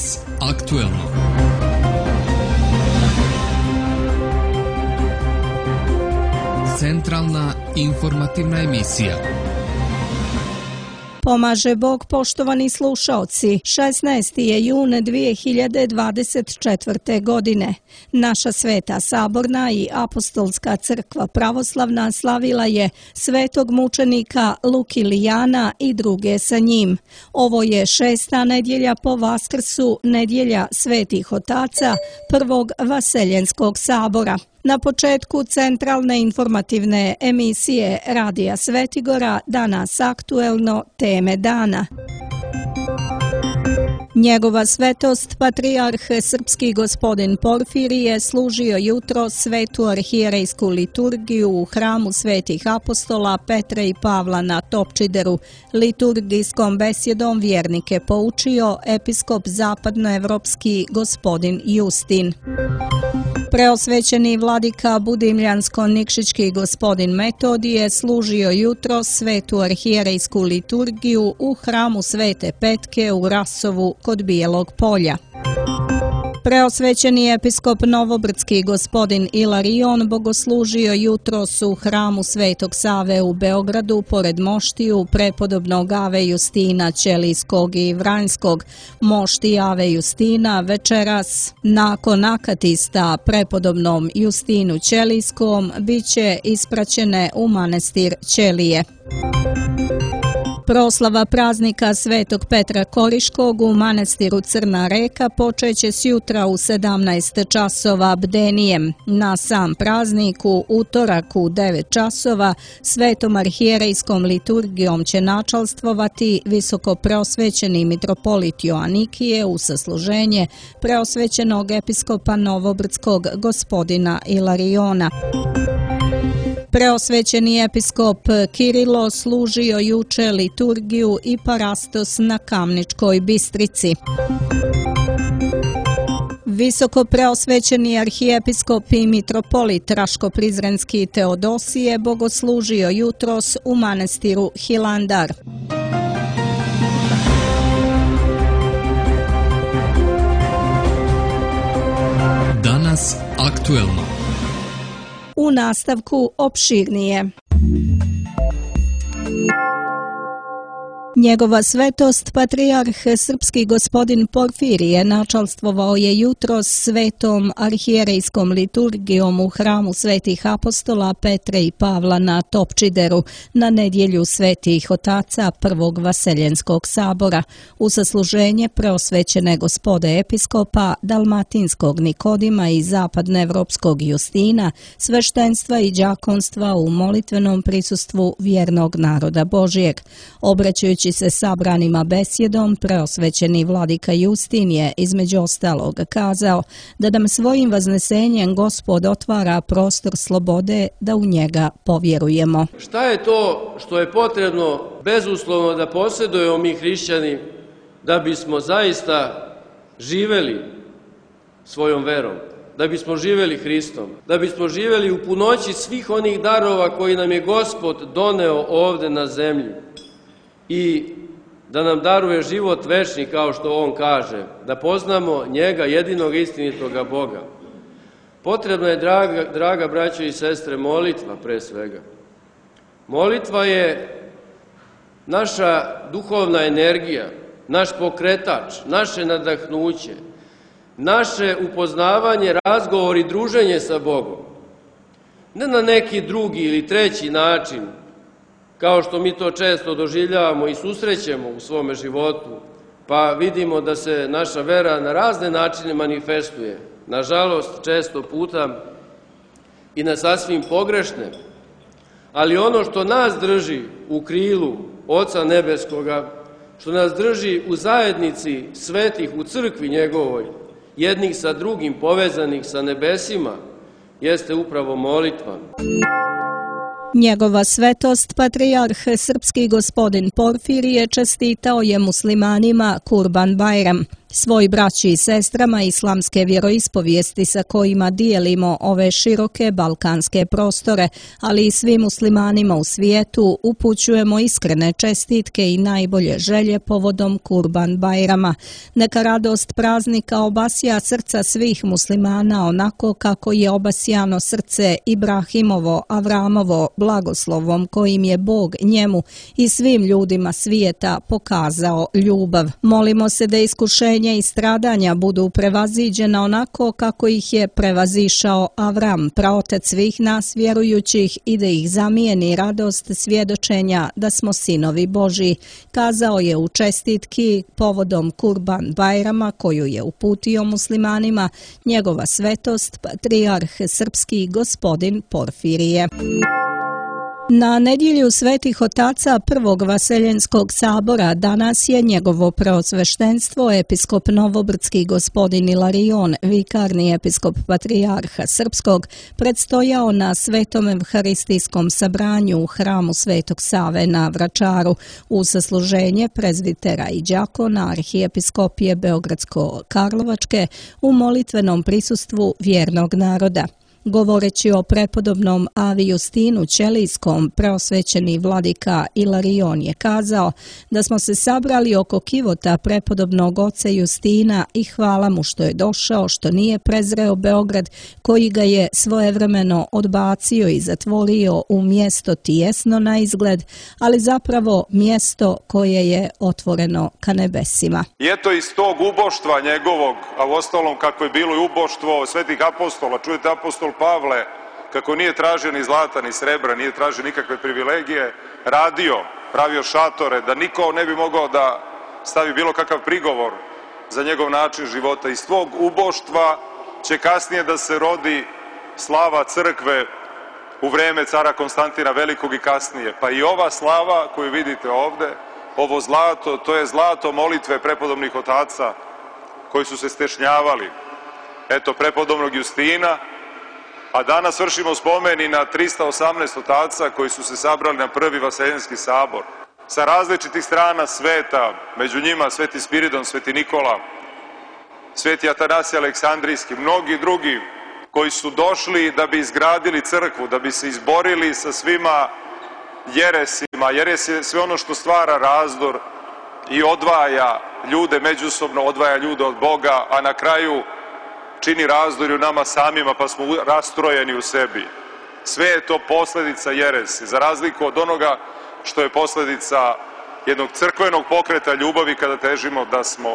Danas aktuelno. Centralna informativna emisija. Pomaže Bog, poštovani slušaoci. 16. je jun 2024. godine. Naša Sveta Saborna i Apostolska crkva pravoslavna slavila je svetog mučenika Lukilijana i druge sa njim. Ovo je 6. nedjelja po Vaskrsu, nedjelja svetih otaca prvog Vaseljenskog sabora. Na početku centralne informativne emisije Radija Svetigora danas aktuelno teme dana. Njegova svetost, patrijarh srpski gospodin Porfirije, služio jutro svetu arhijerejsku liturgiju u hramu svetih apostola Petra i Pavla na Topčideru. Liturgijskom besjedom vjernike poučio episkop zapadnoevropski gospodin Justin. Preosvećeni vladika Budimljansko-Nikšićki gospodin Metodije služio jutro svetu arhijerejsku liturgiju u hramu Svete Petke u Rasovu kod Bijelog polja. Preosvećeni episkop Novobrdski gospodin Ilarion bogoslužio jutros u hramu Svetog Save u Beogradu pored moštiju prepodobnog Ave Justina Ćelijskog i Vranjskog. Mošti Ave Justina večeras nakon akatista prepodobnom Justinu Ćelijskom bit će ispraćene u manastir Ćelije. Proslava praznika Svetog Petra Koriškog u manastiru Crna Reka počeće s jutra u 17 časova bdenijem. Na sam praznik u utorak u 9 časova svetom arhijerejskom liturgijom će načalstvovati visoko preosvećeni mitropolit Joanikije u sasluženje preosvećenog episkopa Novobrdskog gospodina Ilariona. Preosvećeni episkop Kirilo služio juče liturgiju i parastos na Kamničkoj Bistrici. Visoko preosvećeni arhijepiskop i mitropolit Raško-Prizrenski Teodosije bogoslužio jutros u manastiru Hilandar. Danas aktuelno. U nastavku opširnije. Njegova svetost, patrijarh srpski gospodin Porfirije, načalstvovao je jutros svetom arhijerejskom liturgijom u hramu svetih apostola Petre i Pavla na Topčideru na nedjelju svetih otaca prvog Vaseljenskog sabora u sasluženje preosvećene gospode episkopa Dalmatinskog Nikodima i zapadnoevropskog Justina, sveštenstva i đakonstva u molitvenom prisustvu vjernog naroda Božijeg. Obraćajući se sabranima besjedom, preosvećeni vladika Justin je između ostalog kazao da nam svojim vaznesenjem Gospod otvara prostor slobode da u njega povjerujemo. Šta je to što je potrebno bezuslovno da posjedujemo mi hrišćani da bismo zaista živeli svojom verom, da bismo živeli Hristom, da bismo živeli u punoći svih onih darova koji nam je Gospod doneo ovde na zemlji i da nam daruje život večni, kao što on kaže, da poznamo njega, jedinog istinitoga Boga. Potrebna je, draga braćo i sestre, molitva pre svega. Molitva je naša duhovna energija, naš pokretač, naše nadahnuće, naše upoznavanje, razgovor i druženje sa Bogom. Ne na neki drugi ili treći način, kao što mi to često doživljavamo i susrećemo u svome životu, pa vidimo da se naša vera na razne načine manifestuje. Nažalost, često puta i na sasvim pogrešne. Ali ono što nas drži u krilu Oca Nebeskoga, što nas drži u zajednici svetih u crkvi njegovoj, jednih sa drugim povezanih sa nebesima, jeste upravo molitva. Njegova svetost, patrijarh srpski gospodin Porfirije, čestitao je muslimanima Kurban Bajram. Svoj braći i sestrama islamske vjeroispovijesti sa kojima dijelimo ove široke balkanske prostore, ali i svim muslimanima u svijetu, upućujemo iskrene čestitke i najbolje želje povodom Kurban Bajrama. Neka radost praznika obasja srca svih muslimana onako kako je obasjano srce Ibrahimovo, Avramovo, blagoslovom kojim je Bog njemu i svim ljudima svijeta pokazao ljubav. Molimo se da iskušenje i stradanja budu prevaziđena onako kako ih je prevazišao Avram, praotac svih nas vjerujućih, i da ih zamijeni radost svjedočenja da smo sinovi Božji, kazao je u čestitki povodom Kurban Bajrama koju je uputio muslimanima njegova svetost patrijarh srpski gospodin Porfirije. Na nedjelju svetih otaca Prvog Vaseljenskog sabora danas je njegovo preosveštenstvo episkop Novobrdski gospodin Ilarion, vikarni episkop patrijarha srpskog, predstojao na Svetom evharistijskom sabranju u hramu Svetog Save na Vračaru u sasluženje prezbitera i đakona arhijepiskopije Beogradsko-Karlovačke u molitvenom prisustvu vjernog naroda. Govoreći o prepodobnom Avi Justinu Ćelijskom, preosvećeni vladika Ilarion je kazao da smo se sabrali oko kivota prepodobnog oca Justina i hvala mu što je došao, što nije prezreo Beograd koji ga je svojevremeno odbacio i zatvorio u mjesto tijesno na izgled, ali zapravo mjesto koje je otvoreno ka nebesima. I eto iz tog uboštva njegovog, a uostalom kako je bilo i uboštvo svetih apostola, čujete apostol Pavle, kako nije tražio ni zlata ni srebra, nije tražio nikakve privilegije, radio, pravio šatore, da niko ne bi mogao da stavi bilo kakav prigovor za njegov način života. Iz tvog uboštva će kasnije da se rodi slava crkve u vreme cara Konstantina Velikog i kasnije. Pa i ova slava koju vidite ovde, ovo zlato, to je zlato molitve prepodobnih otaca koji su se stešnjavali. Eto, prepodobnog Justina, a danas vršimo spomeni na 318 otaca koji su se sabrali na Prvi Vaseljenski sabor. Sa različitih strana sveta, među njima Sveti Spiridon, Sveti Nikola, Sveti Atanasije Aleksandrijski, mnogi drugi koji su došli da bi izgradili crkvu, da bi se izborili sa svima jeresima. Jeres je sve ono što stvara razdor i odvaja ljude međusobno, odvaja ljude od Boga, a na kraju čini razdor u nama samima, pa smo rastrojeni u sebi. Sve je to posljedica jeresi, za razliku od onoga što je posljedica jednog crkvenog pokreta ljubavi kada težimo da smo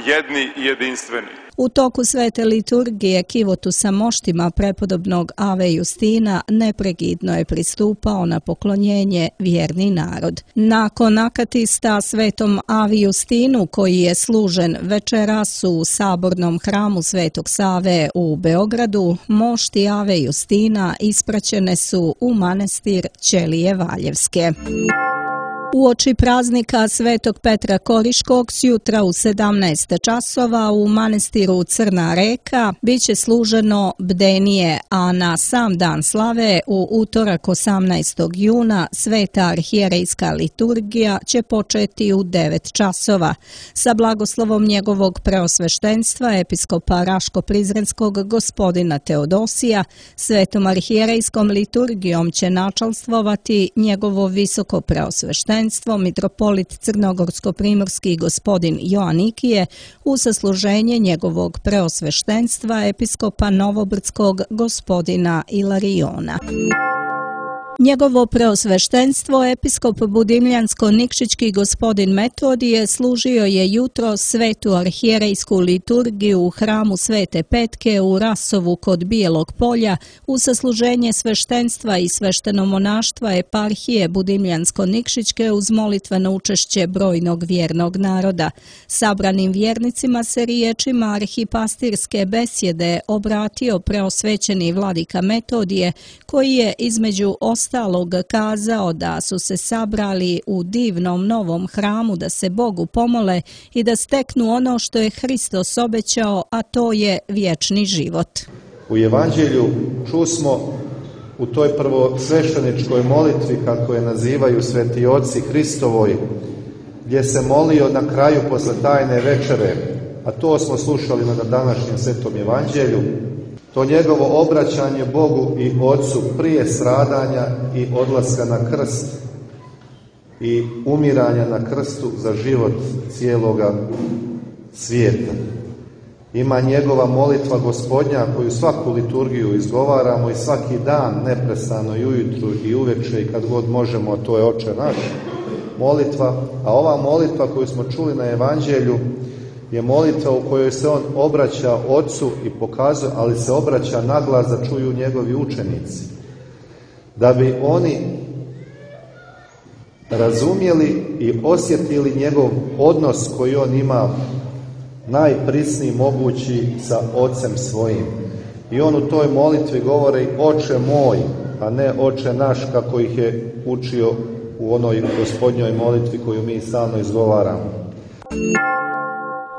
jedni i jedinstveni. U toku svete liturgije kivotu sa moštima prepodobnog Ave Justina neprekidno je pristupao na poklonjenje vjerni narod. Nakon akatista svetom Avi Justinu koji je služen večeras u sabornom hramu Svetog Save u Beogradu, mošti Ave Justina ispraćene su u manastir Ćelije Valjevske. Uoči praznika Svetog Petra Koriškog sjutra u 17 časova u manastiru Crna Reka biće služeno bdenije, a na sam dan slave u utorak 18. juna sveta arhijerejska liturgija će početi u 9 časova. Sa blagoslovom njegovog preosveštenstva episkopa Raško-Prizrenskog gospodina Teodosija, svetom arhijerejskom liturgijom će načalstvovati njegovo visoko preosveštenstvo mitropolit Crnogorsko-primorski gospodin Joanikije u sasluženje njegovog preosveštenstva episkopa Novobrdskog gospodina Ilariona. Njegovo preosveštenstvo episkop Budimljansko-Nikšićki gospodin Metodije služio je jutro svetu arhijerejsku liturgiju u hramu Svete Petke u Rasovu kod Bijelog polja u sasluženje sveštenstva i sveštenomonaštva eparhije Budimljansko-Nikšićke uz molitveno učešće brojnog vjernog naroda. Sabranim vjernicima se riječima arhipastirske besjede obratio preosvećeni vladika Metodije koji je između ostalog kazao da su se sabrali u divnom novom hramu da se Bogu pomole i da steknu ono što je Hristos obećao, a to je vječni život. U Evanđelju čusmo u toj prvosvešteničkoj molitvi, kako je nazivaju sveti oci Hristovoj, gdje se molio na kraju posle tajne večere: a to smo slušali na današnjem Svetom Evanđelju, to njegovo obraćanje Bogu i Otcu prije stradanja i odlaska na krst i umiranja na krstu za život cijeloga svijeta. Ima njegova molitva Gospodnja koju svaku liturgiju izgovaramo i svaki dan neprestano i ujutru i uveče i kad god možemo, to je Oče naš molitva, a ova molitva koju smo čuli na Evanđelju je molitva u kojoj se on obraća Otcu i pokazuje, ali se obraća naglas da čuju njegovi učenici, da bi oni razumjeli i osjetili njegov odnos koji on ima najprisniji mogući sa Ocem svojim. I on u toj molitvi govori Oče moj, a ne Oče naš, kako ih je učio u onoj Gospodnjoj molitvi koju mi stalno izgovaramo.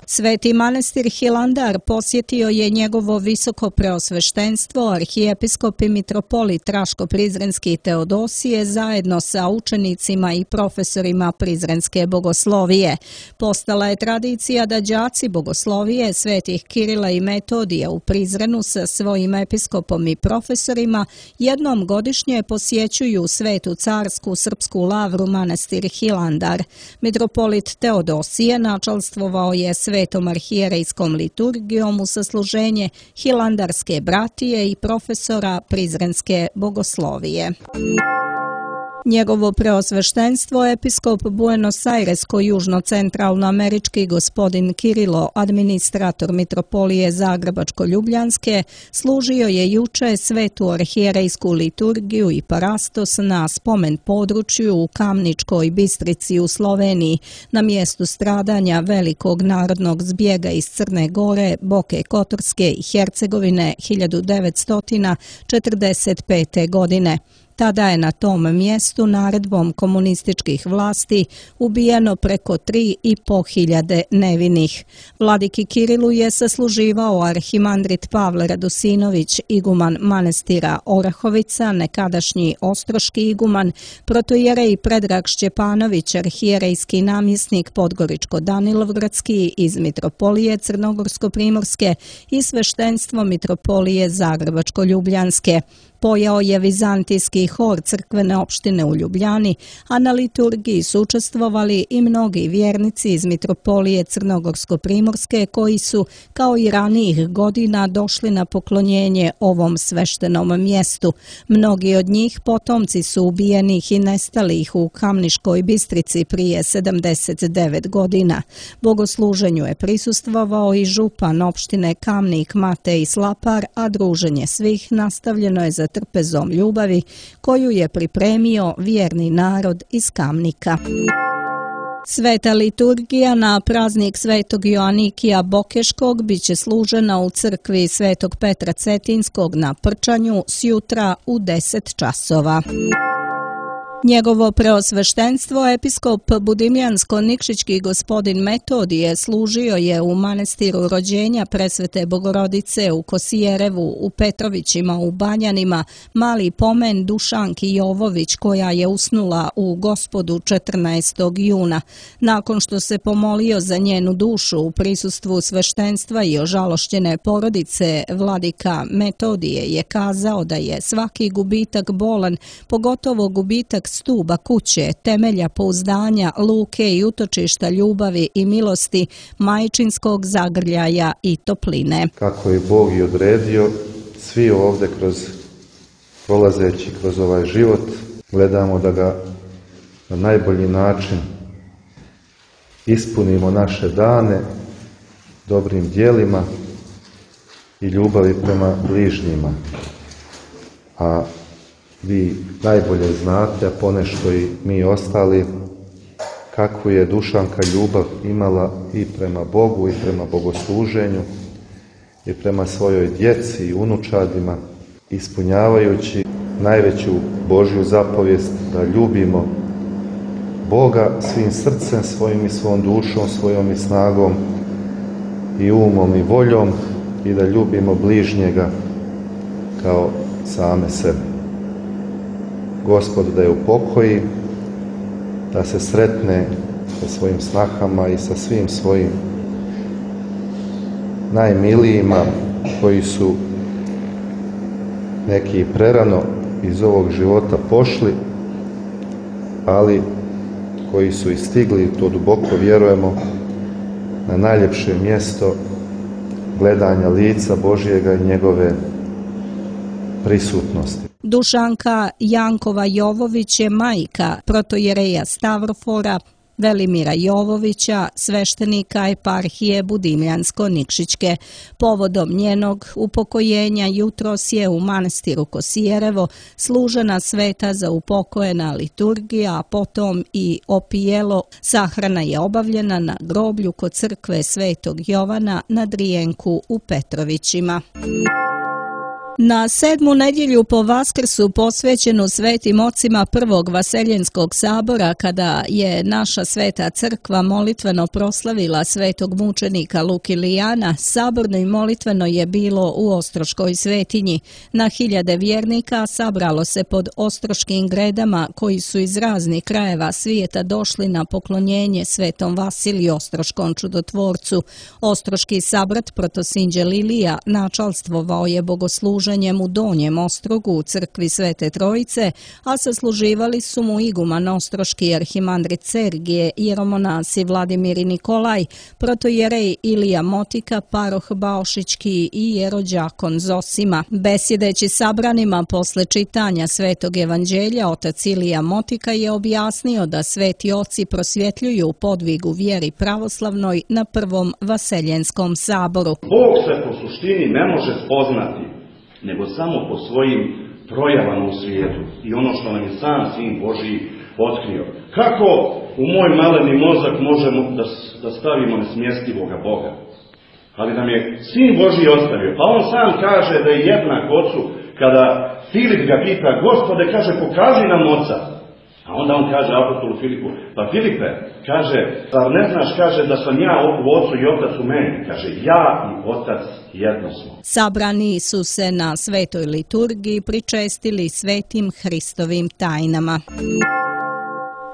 Sveti manastir Hilandar posjetio je njegovo visoko preosveštenstvo, arhijepiskop i mitropolit Raško-Prizrenski Teodosije zajedno sa učenicima i profesorima Prizrenske bogoslovije. Postala je tradicija da đaci bogoslovije svetih Kirila i Metodija u Prizrenu sa svojim episkopom i profesorima jednom godišnje posjećuju Svetu carsku srpsku lavru manastir Hilandar. Mitropolit Teodosije načalstvovao je Svetom arhijerejskom liturgijom u sasluženje hilandarske bratije i profesora Prizrenske bogoslovije. Njegovo preosveštenstvo, episkop Buenos Airesko-južno-centralnoamerički gospodin Kirilo, administrator mitropolije Zagrebačko-Ljubljanske, služio je juče svetu arhijerejsku liturgiju i parastos na spomen području u Kamničkoj Bistrici u Sloveniji, na mjestu stradanja velikog narodnog zbjega iz Crne Gore, Boke Kotorske i Hercegovine 1945. godine. Tada je na tom mjestu naredbom komunističkih vlasti ubijeno preko 3.500 nevinih. Vladiki Kirilu je sasluživao arhimandrit Pavle Radosinović, iguman manastira Orahovica, nekadašnji ostroški iguman, protojerej Predrag Šćepanović, arhijerejski namjesnik Podgoričko-Danilovgradski iz mitropolije Crnogorsko-Primorske i sveštenstvo mitropolije Zagrebačko-Ljubljanske. Pojao je vizantijski hor crkvene opštine u Ljubljani, a na liturgiji su učestvovali i mnogi vjernici iz mitropolije Crnogorsko-Primorske koji su, kao i ranijih godina, došli na poklonjenje ovom sveštenom mjestu. Mnogi od njih potomci su ubijenih i nestalih u Kamniškoj Bistrici prije 79 godina. Bogosluženju je prisustvovao i župan opštine Kamnik Matej Slapar, a druženje svih nastavljeno je za trpezom ljubavi koju je pripremio vjerni narod iz Kamnika. Sveta liturgija na praznik Svetog Joanikija Bokeškog biće služena u crkvi Svetog Petra Cetinskog na Prčanju sjutra u 10 časova. Njegovo preosveštenstvo, episkop Budimljansko-Nikšićki gospodin Metodije, služio je u manastiru rođenja Presvete Bogorodice u Kosijerevu, u Petrovićima, u Banjanima, mali pomen Dušanki Jovović, koja je usnula u Gospodu 14. juna. Nakon što se pomolio za njenu dušu u prisustvu sveštenstva i ožalošćene porodice, vladika Metodije je kazao da je svaki gubitak bolan, pogotovo gubitak stuba kuće, temelja pouzdanja, luke i utočišta ljubavi i milosti, majčinskog zagrljaja i topline. Kako je Bog i odredio, svi ovdje prolazeći kroz ovaj život, gledamo da ga na najbolji način ispunimo naše dane dobrim djelima i ljubavi prema bližnjima. A vi najbolje znate, a ponešto i mi ostali, kakvu je Dušanka ljubav imala i prema Bogu i prema bogosluženju i prema svojoj djeci i unučadima, ispunjavajući najveću Božju zapovijest da ljubimo Boga svim srcem svojim i svom dušom, svojom i snagom i umom i voljom i da ljubimo bližnjega kao same sebe. Gospod da je upokoji, da se sretne sa svojim snahama i sa svim svojim najmilijima koji su neki prerano iz ovog života pošli, ali koji su i stigli, to duboko vjerujemo, na najljepše mjesto gledanja lica Božjega i njegove prisutnosti. Dušanka Jankova Jovović je majka protojereja Stavrofora Velimira Jovovića, sveštenika eparhije Budimljansko-Nikšićke. Povodom njenog upokojenja jutros je u manastiru Kosijerevo služena sveta za upokojena liturgija, a potom i opijelo. Sahrana je obavljena na groblju kod crkve Svetog Jovana na Drijenku u Petrovićima. Na 7. nedjelju po Vaskrsu posvećenu svetim ocima Prvog Vaseljenskog sabora, kada je naša sveta crkva molitveno proslavila svetog mučenika Lukilijana, saborno i molitveno je bilo u Ostroškoj svetinji. Na hiljade vjernika sabralo se pod ostroškim gredama koji su iz raznih krajeva svijeta došli na poklonjenje svetom Vasiliju Ostroškom čudotvorcu. Ostroški sabrat protosinđe Lilija načalstvovao je bogosluženjem u Donjem Ostrogu u crkvi Svete Trojice, a sasluživali su mu iguman ostroški arhimandrit Sergije, jeromonasi Vladimir i Nikolaj, protojerej Ilija Motika, paroh Baošićki i jerođakon Zosima. Besjedeći sabranima posle čitanja Svetog evanđelja, otac Ilija Motika je objasnio da sveti oci prosvjetljuju podvigu vjeri pravoslavnoj na Prvom Vaseljenskom saboru. Bog se po suštini ne može spoznati, nego samo po svojim projavama u svijetu i ono što nam je sam Sin Božji otkrio. Kako u moj maleni mozak možemo da stavimo nesmjestivoga Boga? Ali nam je Sin Božji ostavio, pa on sam kaže da je jednak Ocu. Kada Filip ga pita, Gospode, kaže, pokaži nam Oca. A onda on kaže apostolu Filipu, pa Filipe, kaže, zar ne znaš, kaže, da sam ja u Ocu i Otac u meni? Kaže, ja i Otac jedno smo. Sabrani su se na svetoj liturgiji pričestili svetim Hristovim tajnama.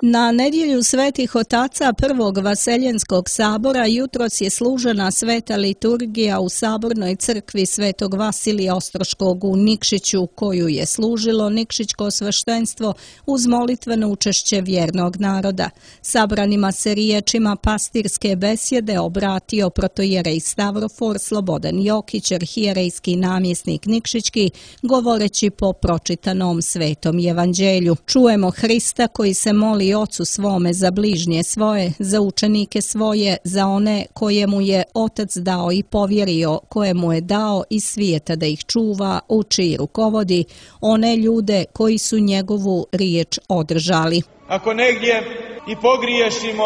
Na nedjelju svetih otaca Prvog Vaseljenskog sabora jutros je služena sveta liturgija u sabornoj crkvi Svetog Vasilija Ostroškog u Nikšiću, koju je služilo Nikšićko sveštenstvo uz molitveno učešće vjernog naroda. Sabranima se riječima pastirske besjede obratio protojerej Stavrofor Slobodan Jokić, arhijerejski namjesnik Nikšićki, govoreći po pročitanom svetom evanđelju. Čujemo Hrista koji se moli Ocu svome za bližnje svoje, za učenike svoje, za one kojemu je Otac dao i povjerio, kojemu je dao iz svijeta da ih čuva, uči i rukovodi, one ljude koji su njegovu riječ održali. Ako negdje i pogriješimo,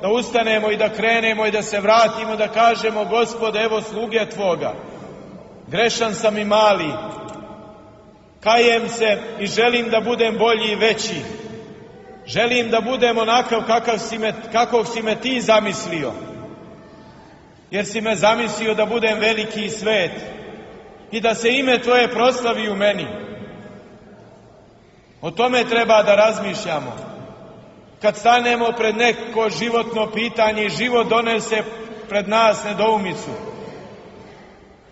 da ustanemo i da krenemo i da se vratimo, da kažemo, Gospode, evo sluge Tvoga, grešan sam i mali, kajem se i želim da budem bolji i veći. Želim da budem onakav kakvog si me ti zamislio. Jer si me zamislio da budem veliki i svet i da se ime Tvoje proslavi u meni. O tome treba da razmišljamo. Kad stanemo pred neko životno pitanje i život donese pred nas nedoumicu,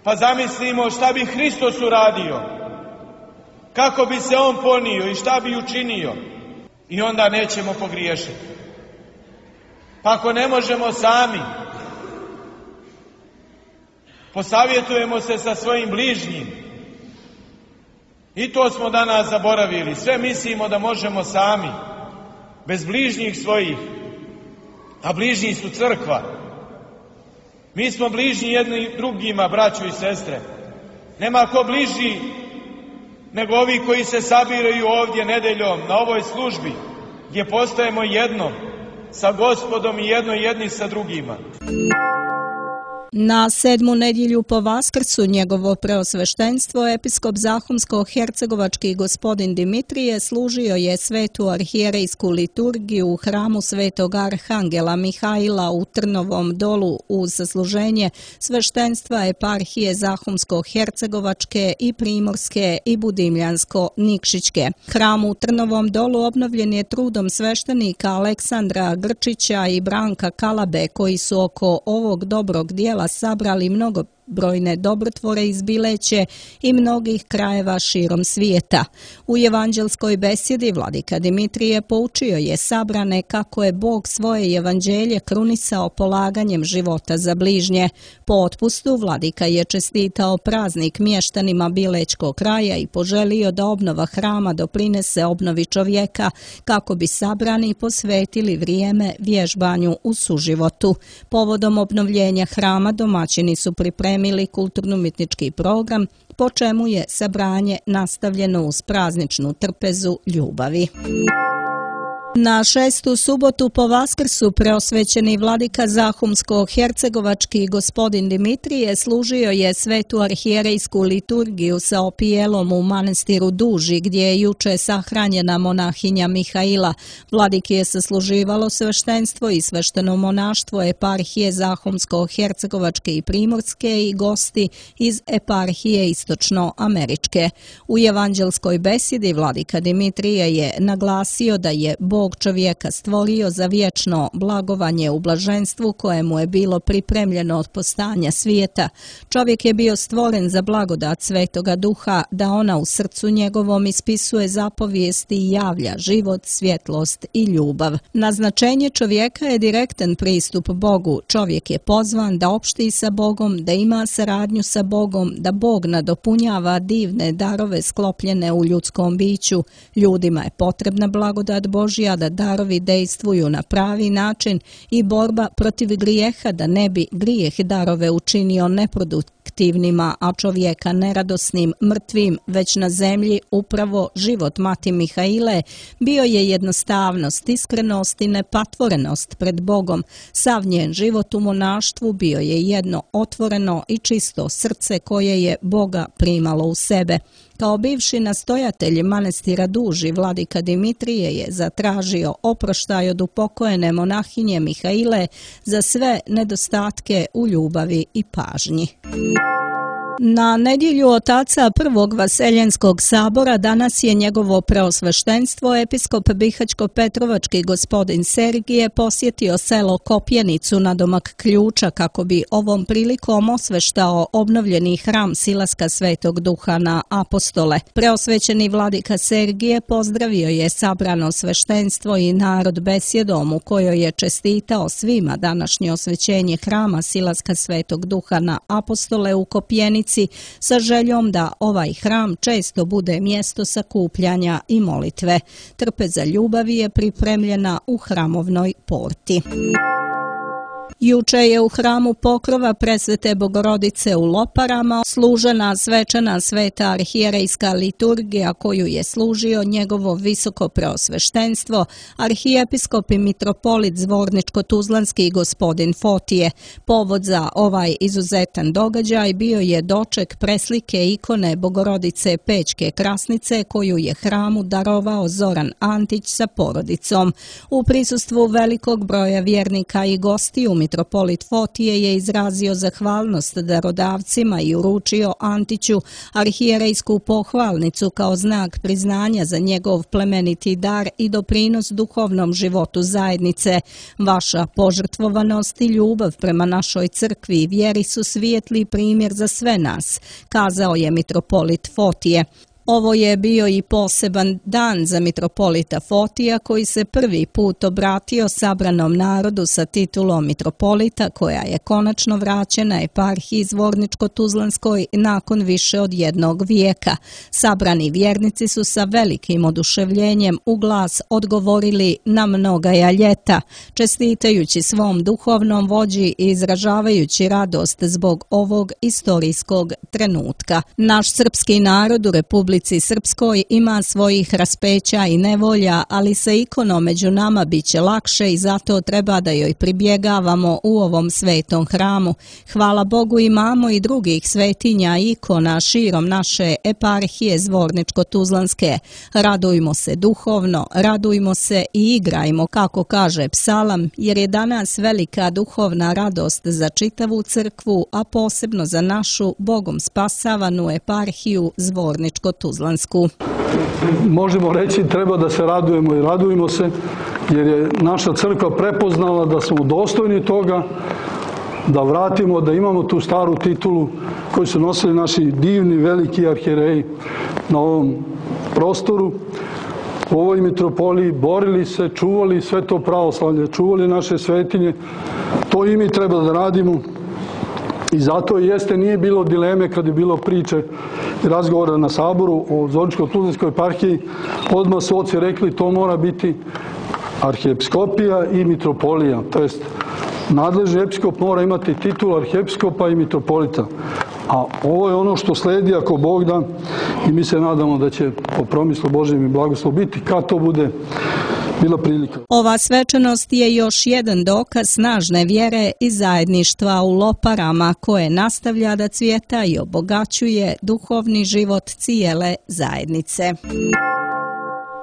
pa zamislimo šta bi Hristos uradio, kako bi se On ponio i šta bi učinio. I onda nećemo pogriješiti. Pa ako ne možemo sami, posavjetujemo se sa svojim bližnjim. I to smo danas zaboravili. Sve mislimo da možemo sami, bez bližnjih svojih. A bližnji su crkva. Mi smo bližnji jedni drugima, braćo i sestre. Nema ko bliži nego ovi koji se sabiraju ovdje nedeljom na ovoj službi, gdje postajemo jedno sa Gospodom i jedni sa drugima. Na 7. nedjelju po Vaskrsu njegovo preosveštenstvo episkop Zahumsko-hercegovački gospodin Dimitrije služio je svetu arhijerejsku liturgiju u hramu Svetog Arhangela Mihaila u Trnovom Dolu uz sasluženje sveštenstva eparhije Zahumsko-hercegovačke i Primorske i Budimljansko-Nikšićke. Hram u Trnovom Dolu obnovljen je trudom sveštenika Aleksandra Grčića i Branka Kalabe, koji su oko ovog dobrog dijela sabrali mnogo brojne dobrotvore iz Bileće i mnogih krajeva širom svijeta. U evanđelskoj besjedi vladika Dimitrije poučio je sabrane kako je Bog svoje evanđelje krunisao polaganjem života za bližnje. Po otpustu vladika je čestitao praznik mještanima Bilećkog kraja i poželio da obnova hrama doprinese obnovi čovjeka kako bi sabrani posvetili vrijeme vježbanju u suživotu. Povodom obnovljenja hrama domaćini su pripremili kulturno-umjetnički program, po čemu je sabranje nastavljeno uz prazničnu trpezu ljubavi. Na 6. subotu po Vaskrsu preosvećeni vladika Zahumsko-hercegovački gospodin Dimitrije služio je svetu arhijerejsku liturgiju sa opijelom u manastiru Duži, gdje je juče sahranjena monahinja Mihaila. Vladiki je sasluživalo sveštenstvo i svešteno monaštvo eparhije Zahumsko-hercegovačke i Primorske i gosti iz eparhije Istočno-američke. U evanđelskoj besjedi vladika Dimitrije je naglasio da je Bog čovjeka stvorio za vječno blagovanje u blaženstvu kojemu je bilo pripremljeno od postanja svijeta. Čovjek je bio stvoren za blagodat Svetoga Duha, da ona u srcu njegovom ispisuje zapovijesti i javlja život, svjetlost i ljubav. Naznačenje čovjeka je direktan pristup Bogu. Čovjek je pozvan da opšti sa Bogom, da ima saradnju sa Bogom, da Bog nadopunjava divne darove sklopljene u ljudskom biću. Ljudima je potrebna blagodat Božja da darovi dejstvuju na pravi način i borba protiv grijeha da ne bi grijeh darove učinio neproduktivnima, a čovjeka neradosnim, mrtvim, već na zemlji upravo život mati Mihaile bio je jednostavnost, iskrenost i nepatvorenost pred Bogom. Sav njen život u monaštvu bio je jedno otvoreno i čisto srce koje je Boga primalo u sebe. Kao bivši nastojatelj manastira Duži, vladika Dimitrije je zatražio oproštaj od upokojene monahinje Mihaile za sve nedostatke u ljubavi i pažnji. Na nedjelju otaca prvog Vaseljenskog sabora danas je njegovo preosveštenstvo episkop Bihaćko-Petrovački gospodin Sergije posjetio selo Kopjenicu nadomak Ključa kako bi ovom prilikom osveštao obnovljeni hram Silaska Svetog Duha na apostole. Preosvećeni vladika Sergije pozdravio je sabrano sveštenstvo i narod besjedom u kojoj je čestitao svima današnje osvećenje hrama Silaska Svetog Duha na apostole u Kopjenici, sa željom da ovaj hram često bude mjesto sakupljanja i molitve. Trpeza ljubavi je pripremljena u hramovnoj porti. Juče je u hramu Pokrova Presvete Bogorodice u Loparama služena svečana sveta arhijerejska liturgija koju je služio njegovo visoko preosveštenstvo, arhijepiskop i mitropolit Zvorničko-Tuzlanski gospodin Fotije. Povod za ovaj izuzetan događaj bio je doček preslike ikone Bogorodice Pećke Krasnice koju je hramu darovao Zoran Antić sa porodicom. U prisustvu velikog broja vjernika i gostiju mitropolit Fotije je izrazio zahvalnost darodavcima i uručio Antiću arhijerejsku pohvalnicu kao znak priznanja za njegov plemeniti dar i doprinos duhovnom životu zajednice. Vaša požrtvovanost i ljubav prema našoj crkvi i vjeri su svijetli primjer za sve nas, kazao je mitropolit Fotije. Ovo je bio i poseban dan za mitropolita Fotija koji se prvi put obratio sabranom narodu sa titulom mitropolita koja je konačno vraćena eparhiji Zvorničko-Tuzlanskoj nakon više od jednog vijeka. Sabrani vjernici su sa velikim oduševljenjem u glas odgovorili na mnogaja ljeta, čestitajući svom duhovnom vođi i izražavajući radost zbog ovog istorijskog trenutka. Naš srpski narod u Republici Srpskoj ima svojih raspeća i nevolja, ali sa ikonom među nama bit će lakše i zato treba da joj pribjegavamo u ovom svetom hramu. Hvala Bogu imamo i drugih svetinja i ikona širom naše eparhije Zvorničko-Tuzlanske. Radujmo se duhovno, radujmo se i igrajmo, kako kaže psalam, jer je danas velika duhovna radost za čitavu crkvu, a posebno za našu Bogom spasavanu eparhiju Zvorničko-Tuzlansku. Možemo reći treba da se radujemo i radujemo se jer je naša crkva prepoznala da smo dostojni toga da vratimo, da imamo tu staru titulu koju su nosili naši divni, veliki arhijereji na ovom prostoru, u ovoj mitropoliji, borili se, čuvali sve to pravoslavlje, čuvali naše svetinje. To i mi treba da radimo. I zato nije bilo dileme kad je bilo priče i razgovora na Saboru o Zoričko-Tuzlanskoj eparhiji. Odmah su oci rekli to mora biti arhijepiskopija i mitropolija. To jest, nadležni episkop mora imati titul arhijepiskopa i mitropolita. A ovo je ono što sledi ako Bog da i mi se nadamo da će po promislu Božjem i blagoslovu biti kad to bude bila prilika. Ova svečanost je još jedan dokaz snažne vjere i zajedništva u Loparama koje nastavlja da cvjeta i obogaćuje duhovni život cijele zajednice.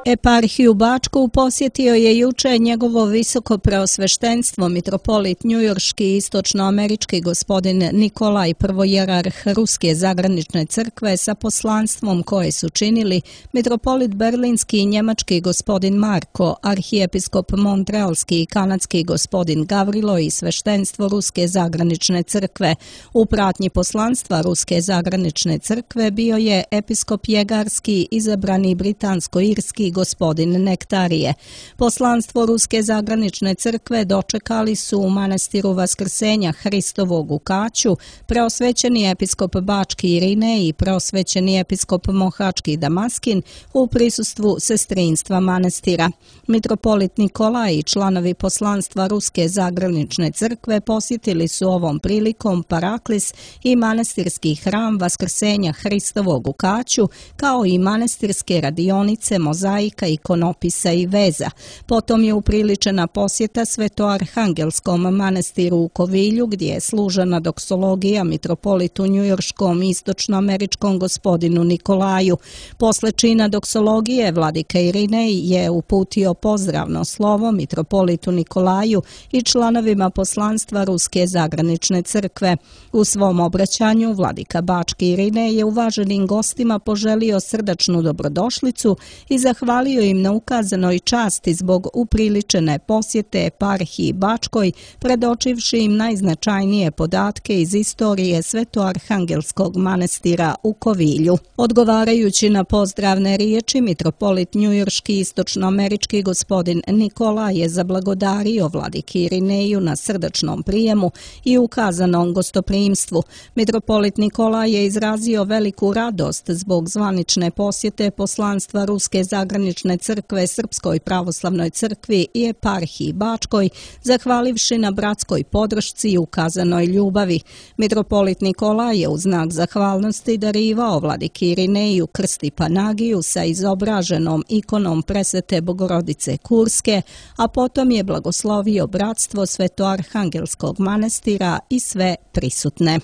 Eparhiju Bačku posjetio je juče njegovo visoko preosveštenstvo mitropolit njujorški i istočnoamerički gospodin Nikolaj, prvojerarh Ruske zagranične crkve, sa poslanstvom koje su činili mitropolit berlinski i njemački gospodin Marko, arhijepiskop montrealski i kanadski gospodin Gavrilo i sveštenstvo Ruske zagranične crkve. U pratnji poslanstva Ruske zagranične crkve bio je episkop jegarski, izabrani britansko-irski gospodin Nektarije. Poslanstvo Ruske zagranične crkve dočekali su u manastiru Vaskrsenja Hristovog u Kaću preosvećeni episkop Bački Irinej i preosvećeni episkop Mohački Damaskin u prisustvu sestrinstva manastira. Mitropolit Nikolaj i članovi poslanstva Ruske zagranične crkve posjetili su ovom prilikom Paraklis i manastirski hram Vaskrsenja Hristovog u Kaću, kao i manastirske radionice, mozaika, ikonopisa i veza. Potom je upriličena posjeta Svetoarhangelskom manastiru u Kovilju, gdje je služena doksologija mitropolitu njujorškom i istočnoameričkom gospodinu Nikolaju. Posle čina doksologije vladika Irinej je uputio pozdravno slovo mitropolitu Nikolaju i članovima poslanstva Ruske zagranične crkve. U svom obraćanju vladika Bački Irinej je uvaženim gostima poželio srdačnu dobrodošlicu i zahvalio im na ukazanoj časti zbog upriličene posjete eparhiji Bačkoj, predočivši im najznačajnije podatke iz istorije Svetoarhangelskog manastira u Kovilju. Odgovarajući na pozdravne riječi, mitropolit njujorški istočnoamerički gospodin Nikola je zablagodario vladiki Irineju na srdačnom prijemu i ukazanom gostoprimstvu. Mitropolit Nikola je izrazio veliku radost zbog zvanične posjete poslanstva Ruske zagranične crkve Srpskoj pravoslavnoj crkvi i eparhiji Bačkoj, zahvalivši na bratskoj podršci i ukazanoj ljubavi. Mitropolit Nikola je u znak zahvalnosti darivao vladiki Irineju krst i panagiju sa izobraženom ikonom presvete Bogorodice Kurske, a potom je blagoslovio bratstvo Svetoarhangelskog manastira i sve prisutne.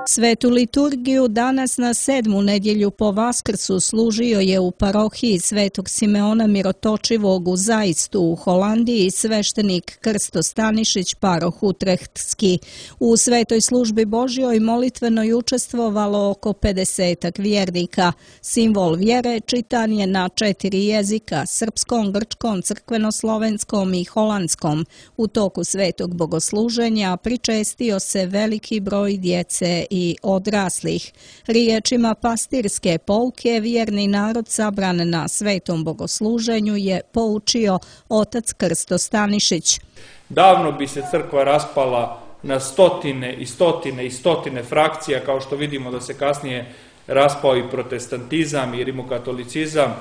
Svetu liturgiju danas na 7. nedjelju po Vaskrsu služio je u parohiji Svetog Simeona Mirotočivog u Zajstu u Holandiji sveštenik Krsto Stanišić, paroh Utrechtski. U svetoj službi Božjoj molitvenoj učestvovalo oko 50 vjernika. Simbol vjere čitan je na 4 jezika: srpskom, grčkom, crkveno-slovenskom i holandskom. U toku svetog bogosluženja pričestio se veliki broj djece i odraslih. Riječima pastirske pouke vjerni narod sabran na svetom bogosluženju je poučio otac Krsto Stanišić. Davno bi se crkva raspala na stotine i stotine i stotine frakcija, kao što vidimo da se kasnije raspao i protestantizam i rimokatolicizam,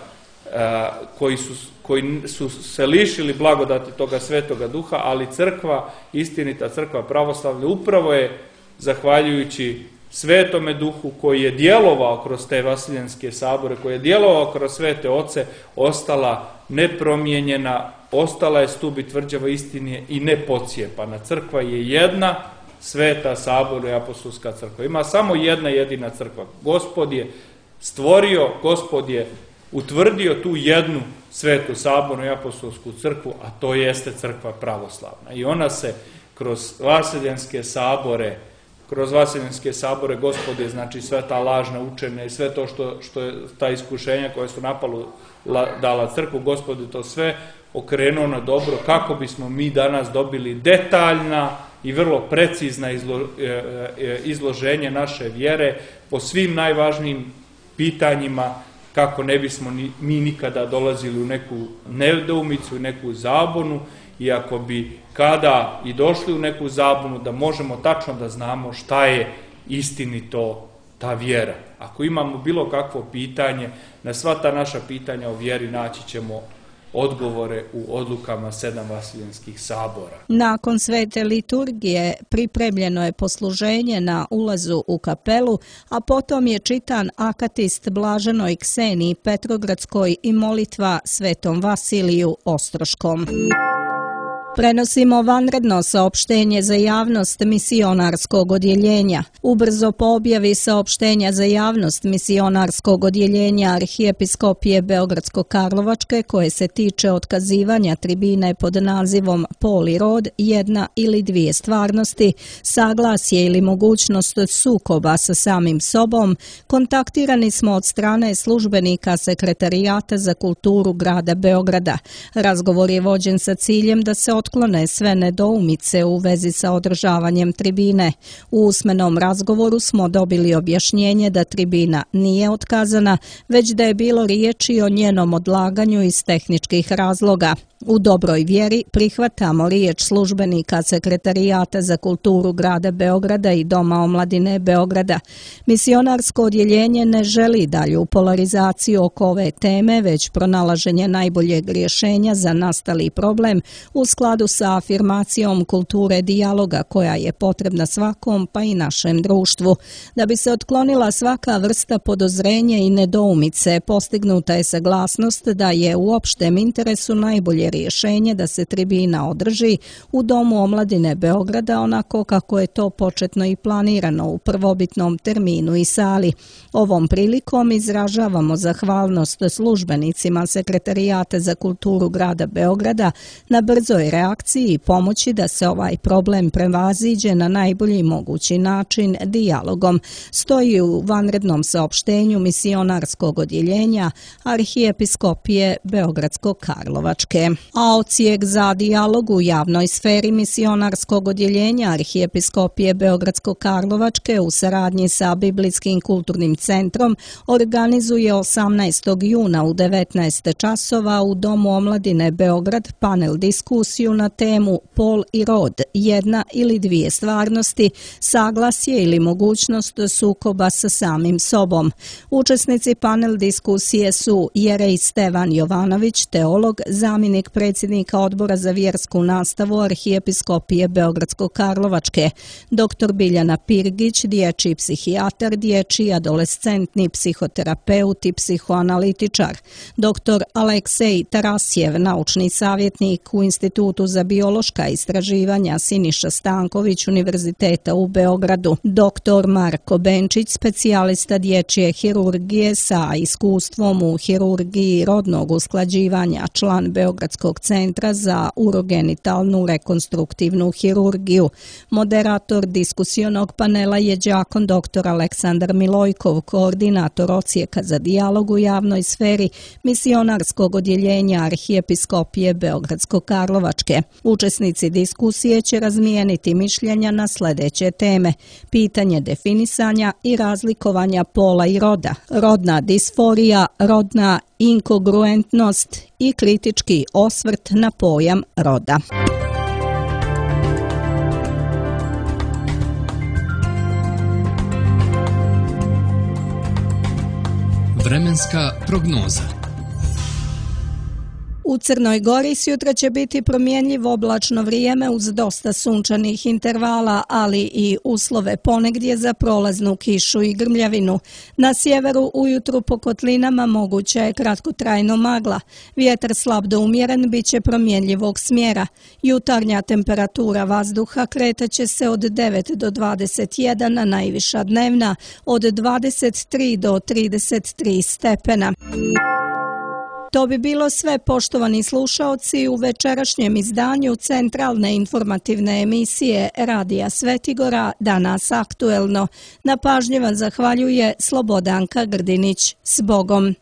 koji su se lišili blagodati toga svetoga duha, ali crkva, istinita crkva pravoslavlja, upravo je zahvaljujući Svetome duhu koji je djelovao kroz te vasiljanske sabore, koji je djelovao kroz svete oce, ostala nepromijenjena, ostala je stup i tvrđava istine i nepocijepana. Crkva je jedna, sveta sabor i apostolska crkva. Ima samo jedna jedina crkva. Gospod je stvorio, Gospod je utvrdio tu jednu svetu sabornu i apostolsku crkvu, a to jeste crkva pravoslavna. I ona se kroz vasiljanske sabore Gospod je, znači, sve ta lažna učenja i sve to što je ta iskušenja koje su dala crkvu, Gospod je to sve okrenuo na dobro kako bismo mi danas dobili detaljna i vrlo precizna izloženje naše vjere po svim najvažnijim pitanjima, kako ne bismo mi nikada dolazili u neku nedoumicu, u neku zabunu, i ako bi kada i došli u neku zabunu, da možemo tačno da znamo šta je istinito ta vjera. Ako imamo bilo kakvo pitanje, na sva ta naša pitanja o vjeri naći ćemo odgovore u odlukama 7 Vaseljenskih sabora. Nakon svete liturgije pripremljeno je posluženje na ulazu u kapelu, a potom je čitan akatist Blaženoj Kseniji Petrogradskoj i molitva svetom Vasiliju Ostroškom. Prenosimo vanredno saopštenje za javnost misionarskog odjeljenja. Ubrzo po objavi saopštenja za javnost misionarskog odjeljenja Arhijepiskopije Beogradsko-Karlovačke, koje se tiče otkazivanja tribine pod nazivom Pol i rod, jedna ili dvije stvarnosti, saglasje ili mogućnost sukoba sa samim sobom, kontaktirani smo od strane službenika Sekretarijata za kulturu grada Beograda. Razgovor je vođen sa ciljem da se otklone sve nedoumice u vezi sa održavanjem tribine. U usmenom razgovoru smo dobili objašnjenje da tribina nije otkazana, već da je bilo riječi o njenom odlaganju iz tehničkih razloga. U dobroj vjeri prihvatamo riječ službenika Sekretarijata za kulturu grada Beograda i Doma omladine Beograda. Misionarsko odjeljenje ne želi dalju polarizaciju oko ove teme, već pronalaženje najboljeg rješenja za nastali problem u skladu sa afirmacijom kulture dijaloga koja je potrebna svakom, pa i našem društvu. Da bi se otklonila svaka vrsta podozrenja i nedoumice, postignuta je saglasnost da je u opštem interesu najbolje rješenje da se tribina održi u Domu omladine Beograda onako kako je to početno i planirano u prvobitnom terminu i sali. Ovom prilikom izražavamo zahvalnost službenicima Sekretarijata za kulturu grada Beograda na brzoj reakciji i pomoći da se ovaj problem prevaziđe na najbolji mogući način dijalogom, stoji u vanrednom saopštenju misionarskog odjeljenja Arhijepiskopije Beogradsko-Karlovačke. A odsjek za dijalog u javnoj sferi misionarskog odjeljenja Arhijepiskopije Beogradsko-Karlovačke u saradnji sa Biblijskim kulturnim centrom organizuje 18. juna u 19 časova u Domu omladine Beograd panel diskusiju na temu Pol i rod, jedna ili dvije stvarnosti, saglasje ili mogućnost sukoba sa samim sobom. Učesnici panel diskusije su Jerej Stevan Jovanović, teolog, zamjenik predsjednika Odbora za vjersku nastavu Arhijepiskopije Beogradsko-Karlovačke, dr. Biljana Pirgić, dječji psihijatar, dječji adolescentni psihoterapeut i psihoanalitičar, dr. Aleksej Tarasjev, naučni savjetnik u Institutu za biološka istraživanja Siniša Stanković Univerziteta u Beogradu, dr. Marko Benčić, specijalista dječje hirurgije sa iskustvom u hirurgiji rodnog usklađivanja, član Beogradskog centra za urogenitalnu rekonstruktivnu hirurgiju. Moderator diskusionog panela je đakon dr. Aleksandar Milojkov, koordinator odsjeka za dijalog u javnoj sferi misionarskog odjeljenja Arhijepiskopije Beogradsko-Karlovačke. Učesnici diskusije će razmijeniti mišljenja na sljedeće teme: pitanje definisanja i razlikovanja pola i roda, rodna disforija, rodna inkongruentnost i kritički osvrt na pojam roda. Vremenska prognoza. U Crnoj Gori sutra će biti promjenjivo oblačno vrijeme uz dosta sunčanih intervala, ali i uslove ponegdje za prolaznu kišu i grmljavinu. Na sjeveru ujutru po kotlinama moguća je kratkotrajno magla. Vjetar slab do umjeren bit će promjenjivog smjera. Jutarnja temperatura vazduha kretaće se od 9 do 21, a najviša dnevna od 23 do 33 stepena. To bi bilo sve, poštovani slušaoci, u večerašnjem izdanju centralne informativne emisije Radija Svetigora Danas aktuelno. Na pažnji vam zahvaljuje Slobodanka Grdinić. S Bogom!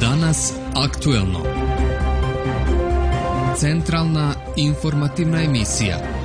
Danas aktuelno. Centralna informativna emisija.